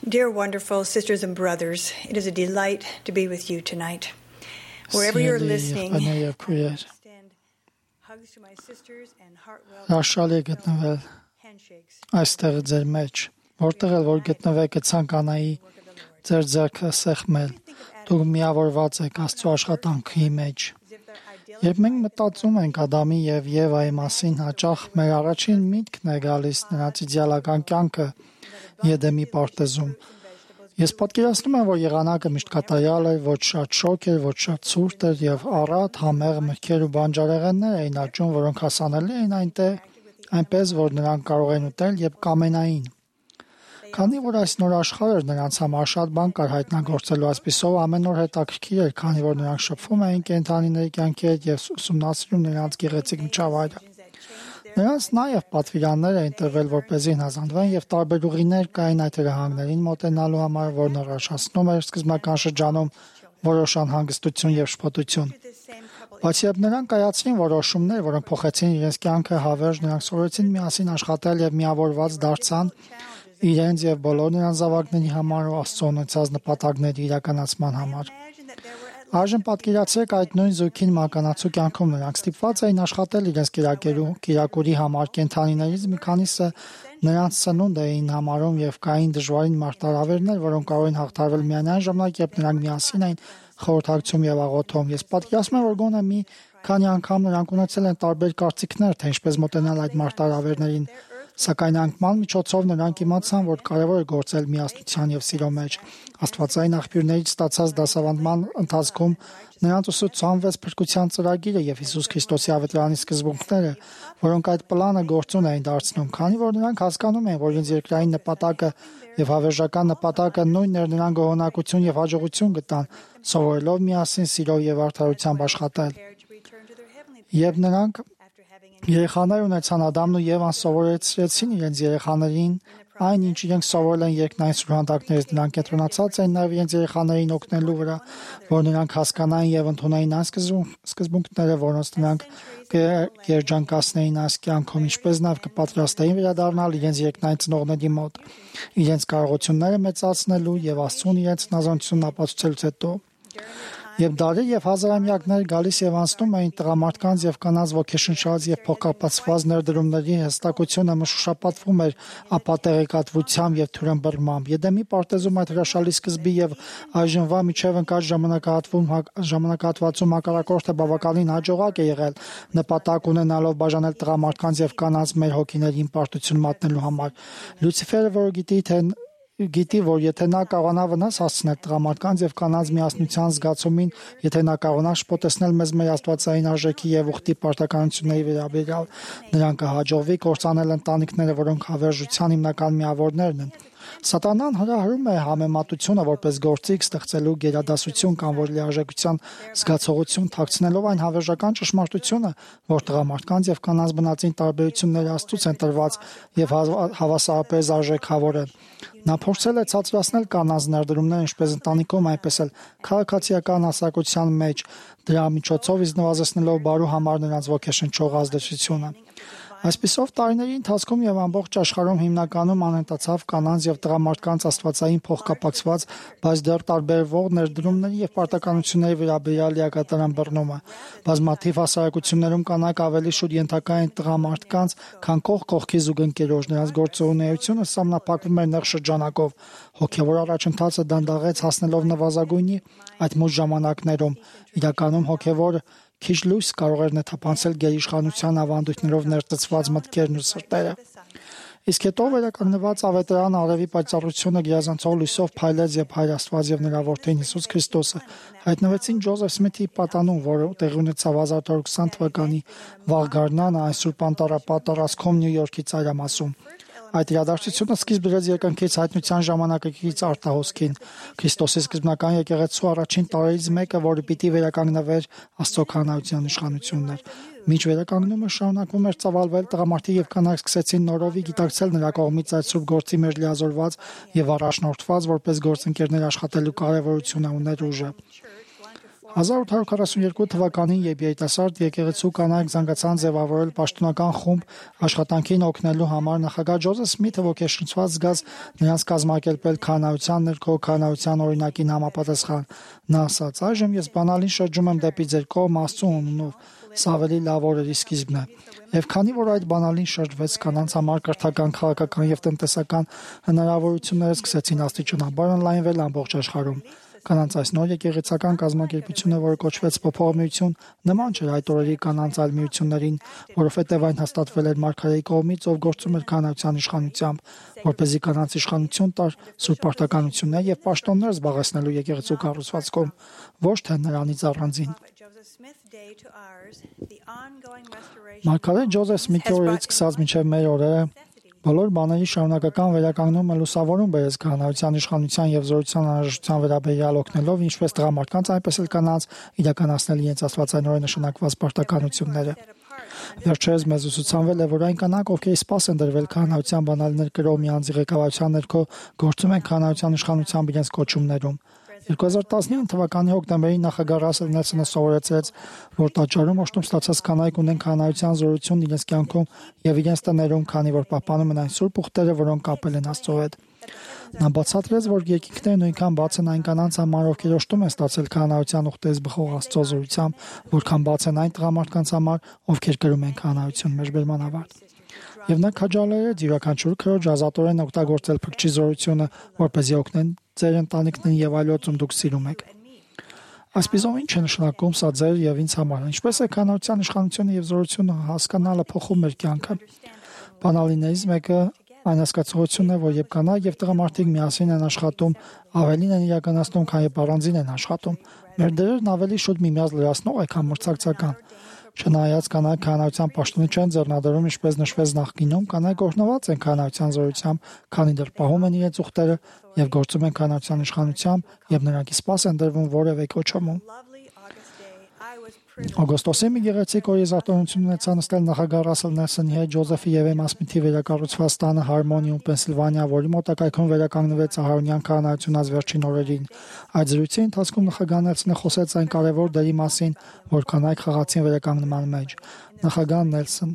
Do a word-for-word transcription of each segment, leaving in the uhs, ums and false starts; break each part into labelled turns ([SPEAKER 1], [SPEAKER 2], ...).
[SPEAKER 1] Dear wonderful sisters and brothers, it is a delight to be with you tonight. Wherever you're listening, I extend hugs to my sisters and heartfelt handshakes.
[SPEAKER 2] Այստեղ ձեր մեջ, որտեղ էլ որ գտնվեք, ցանկանայի ձեր ձեռքը սեղմել, դուք միավորված եք Աստծո աշխատանքի մեջ։ Երբ մենք մտածում ենք Ադամի եւ Եվայի մասին, հաճախ մեր առաջին միտքն է գալիս նրանց իդեալական կյանքը Եդեմի պարտեզում։ Ես պատկերացնում եմ, որ եղանակը միշտ կատարյալ էր, ոչ շատ շոգ էր, ոչ շատ ցուրտ էր եւ առատ համեղ մրգեր ու բանջարեղեններ էին աճում, որոնք հասանելի էին այնտեղ, այնպես որ նրանք կարող են ուտել եւ կամենային։ Քանի որ այս նոր աշխարհը նրանց համար շատ բան կար հայտնագործելու, այսպիսով ամեն օր հետաքրքիր էր, քանի որ նրանք շփվում էին կենդանիների կյանքի հետ եւ ուսումնասիրում նրանց գեղեցիկ միջավայրը։ Նրանց նաև պատվիրաններ էին տրվել, որպեսզի հնազանդվեն եւ տարբեր ուղիներ կային այդ հրահանգներին մոտենալու համար, որն առաջացնում էր սկզբնական շրջանում որոշ անհանգստություն եւ շփոթություն։ Բայց երբ նրանք կայացրին որոշումներ, որոնք փոխեցին իրենց կյանքը հավերժ, նրանք սովորեցին միասին աշխատել եւ միավորված դարձան իրենց եւ բոլոր նրանց զավակների համար ու Աստծո ունեցած նպատակների իրականացման համար։ Այժմ պատկերացրեք այդ նույն զույգին մականացու կյանքում նրանք ստիպված էին աշխատել իրենց կերակերու, կերակուրի համար, կենդանիներից մի քանիսը նրանց սնունդ էին համարում եւ կային դժվարին մարտահրավերներ, որոնք կարող են հաղթարվել միայն այն ժամանակ, երբ նրանք միասին էին խորհրդակցում եւ աղոթում։ Ես պատկերացնում եմ, որ գոնե մի քանի անգամ նրանք ունեցել են տարբեր կարծիքներ, թե ինչպես մոտենալ այդ մարտահրավերներին, սակայն անկման միջոցով նրանք իմացան, որ կարևոր է գործել միասնության եւ սիրո մեջ։ Աստվածային աղբյուրներից ստացած դասավանդման ընթացքում նրանց ուսուցանվեց փրկության ծրագիրը եւ Հիսուս Քրիստոսի ավետարանի սկզբունքները, որոնք այդ պլանը գործուն էին դարձնում, քանի որ նրանք հասկանում են, որ իրենց երկրային նպատակը եւ հավերժական նպատակը նույնն էր, նրանք գոհունակություն եւ հաջողություն գտան, սովորելով միասին սիրով եւ արդարությամբ աշխատել։ Եվ նրանք երեխաներ ունեցան, Ադամն ու Եվան սովորեցրեցին իրենց երեխաներին այն, ինչ իրենք սովորել են երկնային սուրհանդակներից, նրանք կենտրոնացած են նաև իրենց երեխաներին օգնելու վրա, որ նրանք հասկանային եւ ընդունեին այն սկզբունքները, որոնց նրանք երջանկացնեին այս կյանքում, ինչպես նաև կպատրաստեին վերադառնալ իրենց երկնային ծնողների մոտ, իրենց կարողությունները մեծացնելու եւ Աստծուն իրենց հնազանդությունն ապացուցելուց հետո։ Եվ դարեր եւ հազարամյակներ գալիս եւ անցնում էին տղամարդկանց եւ կանանց ոգեշնչած եւ փոխկապացված ներդրումների հստակությունը մշուշապատվում էր ապատեղեկատվությամբ եւ թյուրըմբռնմամբ։ Եդեմի պարտեզում այդ հրաշալի սկզբի եւ այժմվա միջև ընկած ժամանակահատվում ժամանակահատվածում հակառակորդը բավականին հաջողակ է եղել, նպատակ ունենալով բաժանել տղամարդկանց եւ կանանց մեր հոգիներին պարտություն մատնելու համար։ Լյուցիֆերը, որը գիտի թե Գիտի, որ եթե նա կարողանա վնաս հասցնել տղամարդկանց եւ կանանց միասնության զգացումին, եթե նա կարողանա շփոթեցնել մեզ մեր աստվածային արժեքի եւ ուխտի պարտականությունների վերաբերյալ, նրան կհաջողվի կործանել ընտանիքները, որոնք հավերժության հիմնական միավորներն են։ Սատանան հրահրում է համեմատությունը որպես գործիք ստեղծելու գերադասություն կամ որ լիարժեքության զգացողություն թաքցնելով այն հավերժական ճշմարտությունը, որ տղամարդկանց եւ կանանց բնածին տարբերությունները Աստծուց են տրված եւ հավասարապես արժեքավոր են։ Նա փորձել է ցածրացնել կանանց ներդրումները ինչպես ընտանիքում, այնպես էլ քաղաքացիական հասարակության մեջ, դրա միջոցով իզնվազեցնելով բարու համար նրանց ոգեշնչող ազդեցությունը։ Այսպիսով տարիների ընթացքում եւ ամբողջ աշխարհում հիմնականում անհետացավ կանանց եւ տղամարդկանց աստվածային փոխկապակցված, բայց դեռ տարբերվող ներդրումների եւ պարտականությունների վերաբերյալ լիակատար ըմբռնումը։ Բազմաթիվ հասարակություններում կանայք ավելի շուտ ենթակա են տղամարդկանց, քան կողք կողքի զուգընկերոջ, նրանց գործունեությունը սահմանափակվում էր նեղ շրջանակով։ Հոգեվոր առաջընթացը դանդաղեց հասնելով նվազագույնի այդ մուտ ժամանակներում։ Իրականում հոգեվոր քիչ լույս կարող էր նեթափանցել գերիշխանության ավանդույթներով ներծծված մտքերն ու սրտերը։ Իսկ հետո վերականգնված ավետարան արևի պայծառությունը գերազանցող լույսով փայլեց եւ Հայր Աստված եւ նրա որդին Հիսուս Քրիստոսը հայտնվեցին Ջոզեֆ Սմիթի պատանուն, որը տեղի ունեցավ հազար ութ հարյուր քսան թվականի վաղ գարնանը այն Սուրբ Անտառապատ տարածքում Նյու Յորքի ծայրամասում։ Այդ իրադարձությունը սկիզբ դրեց երկնքից հայտնության ժամանակակից արտահոսքին։ Քրիստոսի սկզբնական եկեղեցու առաջին տարերից մեկը, որը պիտի վերականգնվեր Աստծո քահանայության իշխանությունն էր։ Մինչ վերականգնումը շարունակվում էր ծավալվել, տղամարդիկ եւ կանայք սկսեցին նորովի գիտակցել նրա կողմից այդ սուրբ գործի մեջ լիազորված եւ առաջնորդված որպես գործընկերներ աշխատելու կարեւորությունը ուներ ուժը։ հազար ութ հարյուր քառասունյոթ թվականին, երբ երիտասարդ եկեղեցու կանայք զանգացան ձևավորել պաշտոնական խումբ աշխատանքին օգնելու համար, նախագահ Ջոզեֆ Սմիթը ոգեշնչված զգաց նրանց կազմակերպել քահանայության ներքո քահանայության օրինակին համապատասխան։ Նա ասաց. «Այժմ ես բանալին շրջում եմ դեպի ձեր կողմ Աստծու անունով, սա ավելի լավ օրերի սկիզբն է»։ Եվ քանի որ այդ բանալին շրջվեց, կանանց համար կրթական, քաղաքական եւ տնտեսական հնարավորությունները սկսեցին աստիճանաբար ընդլայնվել ամբողջ աշխարհում։ Կանանց այս նոր եկեղեցական կազմակերպությունը, որը կոչվեց Փոփոխ միություն, նման չէր այդ օրերի կանանց այլ միություններին, որովհետև այն հաստատվել էր մարգարեի կողմից, ով գործում էր քահանայության իշխանությամբ, որպեսզի կանանց իշխանություն տար սուրբ պարտականություններ եւ պաշտոններ զբաղեցնելու եկեղեցու կառուցվածքում, ոչ թե նրանից առանձին։ Մարգարետ Ջոզեֆ Սմիթի օրերից սկսած մինչև մեր օրերը բոլոր բաների շարունակական վերականգնումը լուսավորում բերեց քահանայության իշխանության եւ զորության անհրաժեշտության վերաբերյալ օգնելով ինչպես տղամարդկանց, այնպես էլ կանանց իրականացնել իրենց աստվածայնորեն նշանակված պարտականությունները։ Վերջերս մեզ ուսուցանվել է, որ այն կանանք, ովքեր սպաս են դրվել քահանայության բանալիներ կրող մի անձի ղեկավարության ներքո, գործում են քահանայության իշխանությամբ իրենց կոչումներում։ երկու հազար տասնինը թվականի հոկտեմբերին նախագահ Ռասել Նելսոնը սովորեցրեց, որ տաճարում օժտում ստացած կանայք ունեն քահանայության զորություն իրենց կյանքում եւ իրենց տներում, քանի որ պահպանում են այն սուրբ ուխտերը, որոնք կապել են Աստծո հետ։ Նա բացատրեց, որ երկինքները նույնքան բաց են այն կանանց համար, ովքեր օժտում են ստացել քահանայության ուխտերից բխող Աստծո զորությամբ, որքան բաց են այն տղամարդկանց համար, ովքեր կրում են քահանայություն։ Մեջբերման ավարտ։ Եվ նա քաջալերեց յուրաքանչյուր քրոջ ազատորեն օգտագործել փրկչի զորությունը, որպեսզի օգնեն ձեր ընտանիքներին եւ այլոցում դուք սիրում եք։ Այսպիսով ինչ է նշանակում սա ձեր եւ ինձ համար։ Ինչպես է քահանայության իշխանությունը եւ զորությունը հասկանալը փոխում մեր կյանքը։ Բանալիներից մեկը այն հասկացողությունն է, որ երբ կանայք եւ տղամարդիկ միասին են աշխատում, ավելին են իրականացնում, քան երբ առանձին են աշխատում։ Մեր դերերն ավելի շուտ միմյանց լրացնող է, քան մրցակցական։ Չնայած կանայք քահանայության պաշտոնը չեն ձեռնադրում, ինչպես նշվեց նախկինում, կանայք օրհնված են քահանայության զորությամբ, քանի դեռ պահում են իրենց ուխտերը եւ գործում են քահանայության իշխանությամբ եւ նրանք սպաս են դրվում որևէ կոչումում։ Օգոստոսի մի գեղեցիկ օրի զարթոնություն ունեցա նստել նախագահ Ռասել Նելսոնի հետ Ջոզեֆի եւ Էմմա Սմիթի վերակառուցված տանը Հարմոնիում, Պենսիլվանիա, որի մոտակայքում վերականգնվեց Ահարոնյան քահանայությունից վերջին օրերին։ Այդ զրույցի ընթացքում նախագահ Նելսոնը խոսեց այն կարևոր դերի մասին, որ կանայք խաղացին վերականգնման մեջ։ Նախագահ Նելսոն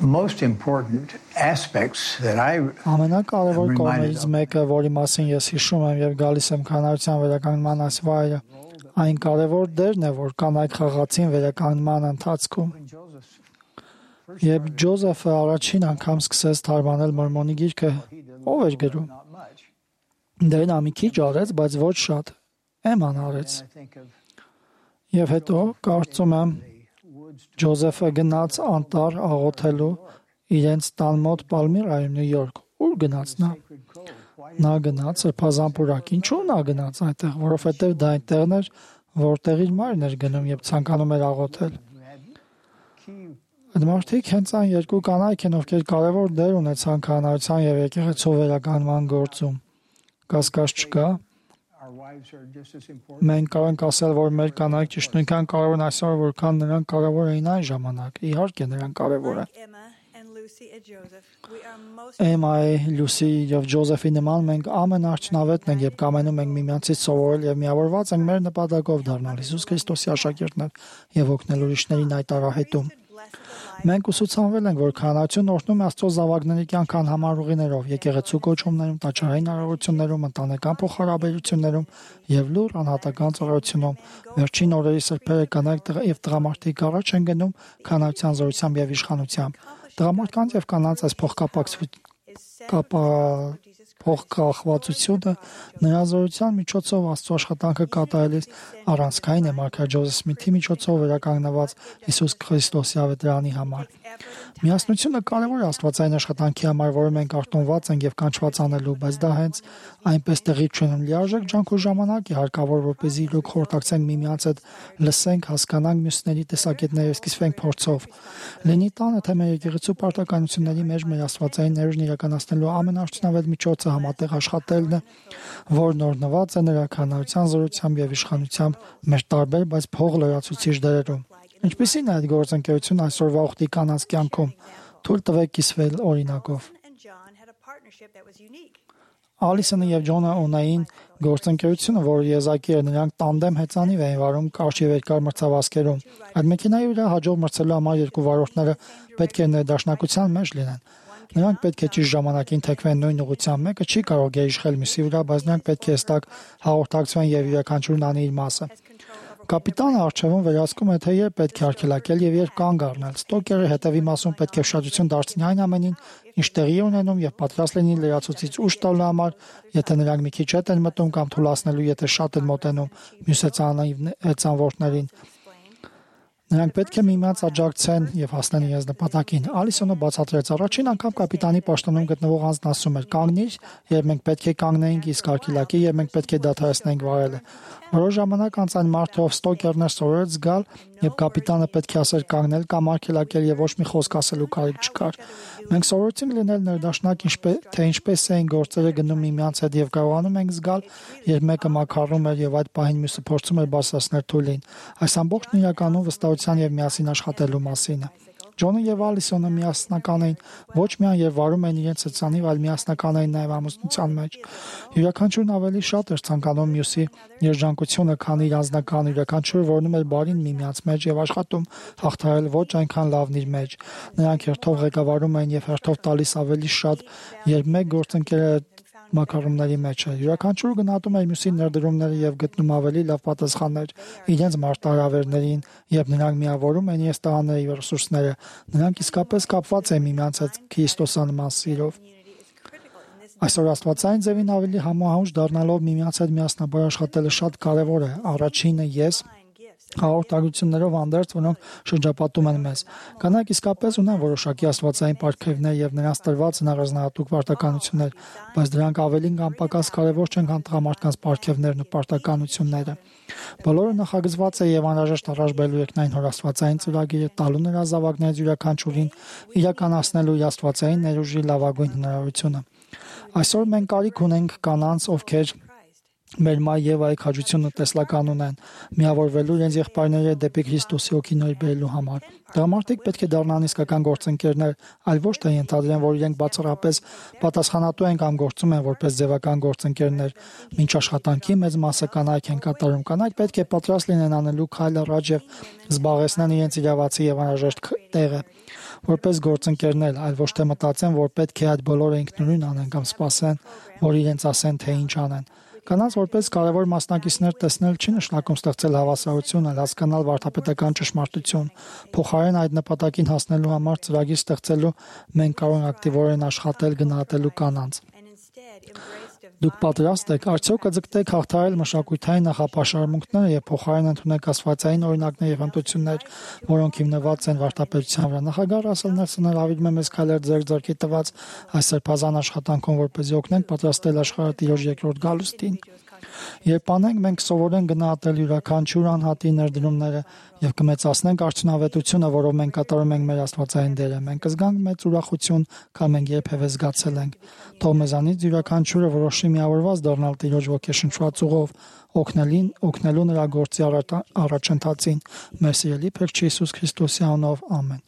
[SPEAKER 3] most important aspects that I
[SPEAKER 2] ամենակարևոր կողմերից մեկը, որի մասին ես հիշում եմ եւ գալիս եմ քահանայության վերականգնման այս վայրը, այն կարևոր դերն է, որ կանայք խաղացին վերականգնման ընթացքում։ Երբ Ջոզեֆը առաջին անգամ սկսեց թարգմանել Մորմոնի գիրքը, ով էր գրում։ Դե նա մի քիչ արեց, բայց ոչ շատ։ Էմման արեց։ Եվ հետո կարծում եմ Ջոզեֆը գնաց անտառ աղոթելու իրենց տան մոտ Պալմիրայում, Նյու Յորք։ Ուր գնաց նա։ Նա գնաց Սրբազան պուրակ։ Ինչու նա գնաց այնտեղ, որովհետև դա այնտեղն էր, որտեղ իր մայրն էր գնում, երբ ցանկանում էր աղոթել։ Այդ մարդիկ հենց այն երկու կանայք են, ովքեր կարևոր դեր ունեցան քահանայության եւ եկեղեցու վերականգնման գործում։ Կասկած չկա։ Մենք կարող ենք ասել, որ մեր կանայք ճիշտ նույնքան կարևոր են այսօր, որքան նրանք կարևոր էին այն ժամանակ։ Իհարկե, նրանք կարևոր են։ Էմմայի, Լուսի եւ Ջոզեֆի նման մենք ամենաարդյունավետն ենք, երբ կամենում ենք միմյանցից սովորել եւ միավորված ենք մեր նպատակով դառնալ Հիսուս Քրիստոսի աշակերտներ եւ օգնել ուրիշներին այդ արահետում։ Մենք ուսուցանվել ենք, որ քահանայությունն օրհնում է Աստծո զավակների կյանք անհամար ուղիներով, եկեղեցու կոչումներում, տաճարային հարաբերություններում, ընտանեկան փոխհարաբերություններում եւ լուր անհատական ծառայությունում։ Վերջին օրերի սրբերը կանայք եւ տղամարդիկ առաջ են գնում քահանայության զորությամբ եւ իշխանությամբ։ Տղամարդկանց եւ կանանց այս փոխկապակցությունը փոխկախվածությունը նրա զորության միջոցով Աստծո աշխատանքը կատարելիս առանցքային է մարգարետ Ջոզեֆ Սմիթի միջոցով վերականգնված Հիսուս Քրիստոսի ավետարանի համար։ Միասնությունը կարևոր է աստվածային աշխատանքի համար, որը մենք արտոնված ենք եւ կանչված անելու, բայց դա հենց այնպես տեղի չունեն։ Լիարժեք ջանք ու ժամանակ է հարկավոր, որպեսզի իրոք խորհրդակցենք միմյանց հետ, լսենք, հասկանանք մյուսների տեսակետները, սկսվենք փորձով։ Լինի տանը, թե մեր եկեղեցու պարտականությունների մեջ մեր աստվածային ներուժն իրականացնելու ամենաարդյունավետ միջոցը համատեղ աշխատելն է, որն օրհնված է նրա քահանայության զորությամբ եւ իշխանությամբ մեր տարբեր, բայց փող լրացուցիչ դերերում։ Ինչպիսին է այդ գործընկերությունը այսօրվա ուխտի կանանց կյանքում։ Թույլ տվեք կիսվել օրինակով։ Ալիսոնը եւ Ջոնը ունեին գործընկերությունը, որը եզակի էր, նրանք տանդեմ հեծանիվ էին վարում կարճ եւ երկար մրցավազքերում։ Այդ մեքենայի վրա հաջող մրցելու համար երկու վարորդները պետք է ներդաշնակության մեջ լինեն։ Նրանք պետք է ճիշտ ժամանակին թեքվեն նույն ուղղությամբ, մեկը չի կարող գերիշխել մյուսի վրա, բայց նրանք պետք է հստակ հաղորդակցվեն եւ յուրաքանչյուրն անի իր մասը։ Կապիտանը առջևում վերահսկում է, թե երբ պետք է արգելակել եւ երբ կանգ առնել։ Ստոկերը հետևի մասում պետք է ուշադրություն դարձնի այն ամենին, ինչ տեղի է ունենում եւ պատրաստ լինի լրացուցիչ ուժ տալու համար, եթե նրանք մի քիչ հետ են մտնում կամ թուլացնելու, եթե շատ են մոտենում մյուս հեծանվորդներին։ Նրանք պետք է միմյանց աջակցեն եւ հասնեն իրենց նպատակին։ Ալիսոնը բացատրեց. առաջին անգամ կապիտանի պաշտոնում գտնվող անձն ասում էր. «Կանգնիր, երբ մենք պետք է կանգնեինք, իսկ արգելակի, երբ մենք պետք է դադարեցնեինք վարելը»։ Որոշ ժամանակ անց այն մարդը, ով Ստոկերն էր, սովորեց զգալ, երբ կապիտանը պետք է ասեր կանգնել կամ արգելակել եւ ոչ մի խոսք ասելու կարիք չկար։ Մենք սովորեցինք լինել ներդաշնակ, թե ինչպես էին գործերը գնում միմյանց հետ եւ կարողանում ենք զգալ, երբ մեկը մաքարում էր եւ այդ պահին մյուսը փորձում էր բարձրացնել թույլին։ Այս ամբողջն իրականում վստահության եւ միասին աշխատելու մասին է։ Ջոնը եւ Ալիսոնը միասնական էին ոչ միայն եւ վարում էին իրենց հեծանիվ, այլ միասնական էին նաեւ ամուսնության մեջ։ Յուրաքանչյուրն ավելի շատ էր ցանկանում մյուսի երջանկությունը, քան իր անձնական, յուրաքանչյուրը որոնում էր բարին միմյանց մեջ եւ աշխատում հաղթահարել ոչ այնքան լավն իր մեջ։ Նրանք հերթով ղեկավարում էին եւ հերթով տալիս ավելի շատ, երբ մեկ գործընկերը մակարոնների մեջ է։ Յուրաքանչյուրը գնահատում է մյուսի ներդրումները եւ գտնում ավելի լավ պատասխաններ իրենց մարտահրավերներին, երբ նրանք միավորում են իրենց տղաների եւ ռեսուրսները, նրանք իսկապես կապված են միմյանց հետ քրիստոսանման սիրով։ Այսօր աստվածային ձևին ավելի համահունչ դառնալով միմյանց հետ միասնաբար աշխատելը շատ կարեւոր է։ Առաջինը ես հաղորդակցություններով անդերձ, որոնք շրջապատում են մեզ։ Կանայք իսկապես ունեն որոշակի աստվածային պարգևներ եւ նրանց տրված հնարազնահատուկ պարտականություններ, բայց դրանք ավելին կամ պակաս կարեւոր չեն, քան տղամարդկանց պարգևներն ու պարտականությունները։ Բոլորը նախագծված է եւ անհրաժեշտ առաջ բերելու երկնային հորաստվածային ծրագիրը տալու նրա զավակներից յուրաքանչյուրին իրականացնելու իր աստվածային ներուժի լավագույն հնարավորությունը։ Այսօր մենք կարիք ունենք կանանց, ովքեր մեր մայր Եվայի քաջությունը տեսլական ունեն, միավորվելու իրենց եղբայրների հետ դեպի Քրիստոսի օգին բերելու համար։ Տղամարդիկ պետք է դառնան իսկական գործընկերներ, այլ ոչ թե ենթադրեն, որ իրենք բացառապես պատասխանատու են կամ գործում են որպես ձևական գործընկերներ։ Մինչ աշխատանքի մեծ մասը կանայք են կատարում։ Կանայք պետք է պատրաստ լինեն անելու քայլ առաջ եւ զբաղեցնեն իրենց իրավացի եւ անհրաժեշտ տեղը որպես գործընկերներ, այլ ոչ թե մտածեն, որ պետք է այդ բոլորը ինքնուրույն անեն կամ սպասեն, որ իրենց ասեն, թե ինչ անեն։ Կանանց որպես կարևոր մասնակիցներ տեսնել չի նշանակում ստեղծել հավասարություն, այլ հասկանալ վարդապետական ճշմարտություն։ Փոխարեն այդ նպատակին հասնելու համար ծրագիր ստեղծելու մենք կարող ենք ակտիվորեն աշխատել գնահատելու կանանց։ Դուք պատրաստ եք արդյոք կձգտեք հաղթահարել մշակութային նախապաշարմունքները եւ փոխարեն ընդունեք աստվածային օրինակներ եւ հմտություններ, որոնք հիմնված են վարդապետության վրա։ Նախագահ Ռասել Նելսոնը հրավիրում է մեզ քայլեր ձեր ձեռքի տված այս սրբազան աշխատանքում, որպեսզի օգնենք պատրաստել աշխարհը Տիրոջ երկրորդ գալուստին։ Երբ անենք, մենք կսովորենք գնահատել յուրաքանչյուր անհատի ներդրումները եւ կմեծացնենք արդյունավետությունը, որով մենք կատարում ենք մեր աստվածային դերը։ Մենք կզգանք մեծ ուրախություն, քան մենք երբևէ զգացել ենք։ Թող մեզանից յուրաքանչյուրը որոշի միավորված դառնալ Տիրոջ ոգեշնչված ուղով, օգնելին, օգնելու նրա գործի առաջընթացին։ Մեր սիրելի Փրկչի Հիսուս Քրիստոսի անունով, ամեն։